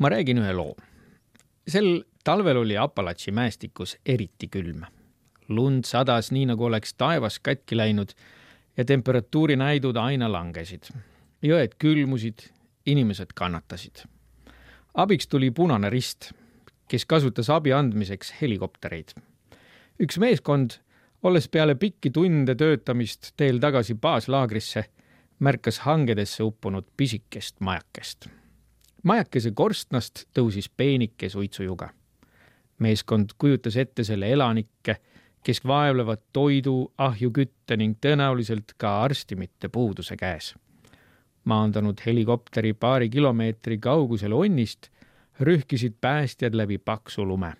Ma räägin ühe loo. Sel talvel oli Apalachi mäestikus eriti külm. Lund sadas nii nagu oleks taevas katki läinud ja temperatuuri näidud aina langesid. Jõed külmusid, inimesed kannatasid. Abiks tuli Punane Rist, kes kasutas abi andmiseks helikoptereid. Üks meeskond, olles peale pikki tunde töötamist teel tagasi baaslaagrisse, märkas hangedesse uppunud pisikest majakest. Majakese korstnast tõusis peenike suitsujuga. Meeskond kujutas ette selle elanikke, kes vaevlevad toidu, ahjukütte ning tõenäoliselt ka arstimite puuduse käes. Maandanud helikopteri paari kilomeetri kaugusel onnist, rühkisid päästjad läbi paksu lume.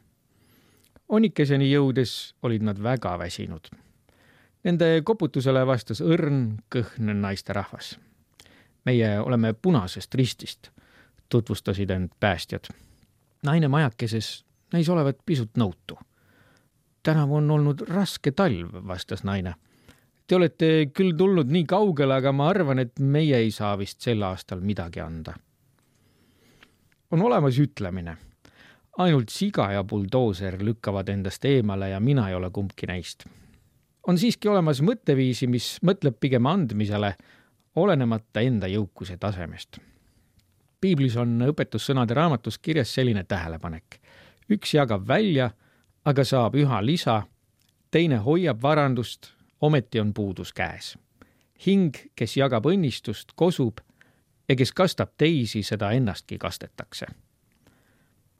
Onnikeseni jõudes olid nad väga väsinud. Nende koputusele vastas õrn, kõhn naisterahvas. Meie oleme Punasest Ristist, tutvustasid end päästjad. Naine majakeses näis olevat pisut nõutu. Tänavu on olnud raske talv, vastas naine. Te olete küll tulnud nii kaugele, aga ma arvan, et meie ei saa vist sel aastal midagi anda. On olemas ütlemine. Ainult siga ja buldooser lükkavad endast eemale ja mina ei ole kumbki neist. On siiski olemas mõtteviisi, mis mõtleb pigem andmisele, olenemata enda jõukuse tasemest. Piiblis on õpetussõnade raamatus kirjas selline tähelepanek. Üks jagab välja, aga saab üha lisa, teine hoiab varandust, ometi on puudus käes. Hing, kes jagab õnnistust, kosub ja kes kastab teisi, seda ennastki kastetakse.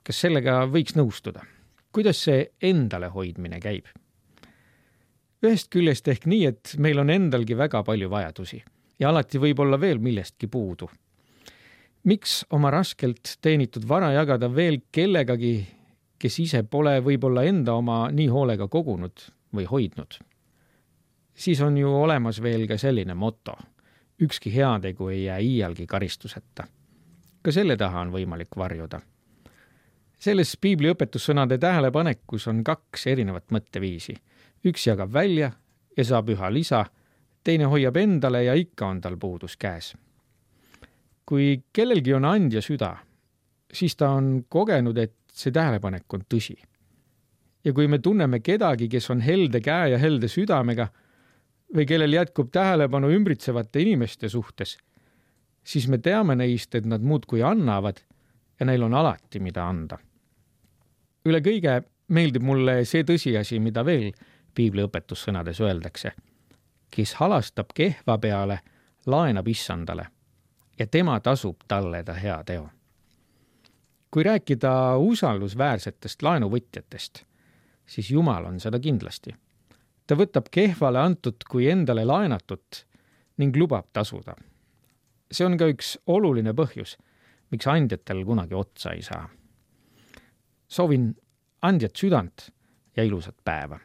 Kas sellega võiks nõustuda? Kuidas see endale hoidmine käib? Ühest küljest ehk nii, et meil on endalgi väga palju vajadusi ja alati võib olla veel millestki puudu. Miks oma raskelt teenitud vara jagada veel kellegagi, kes ise pole võib-olla enda oma nii hoolega kogunud või hoidnud? Siis on ju olemas veel ka selline moto. Ükski heategu ei jää iialgi karistuseta. Ka selle taha on võimalik varjuda. Selles piibli õpetussõnade tähelepanekus on 2 erinevat mõtteviisi. Üks jagab välja ja saab üha lisa, teine hoiab endale ja ikka on tal puudus käes. Kui kellelgi on andja süda, siis ta on kogenud, et see tähelepanek on tõsi. Ja kui me tunneme kedagi, kes on helde käe ja helde südamega või kellel jätkub tähelepanu ümbritsevate inimeste suhtes, siis me teame neist, et nad muudkui annavad ja neil on alati, mida anda. Üle kõige meeldib mulle see tõsiasi, mida veel piibli õpetussõnades öeldakse. Kes halastab kehva peale, laenab issandale ja tema tasub talle ta hea teo. Kui rääkida usaldusväärsetest laenuvõtjatest, siis Jumal on seda kindlasti. Ta võtab kehvale antud kui endale laenatut ning lubab tasuda. See on ka üks oluline põhjus, miks andjatel kunagi otsa ei saa. Soovin andjat südant ja ilusat päeva.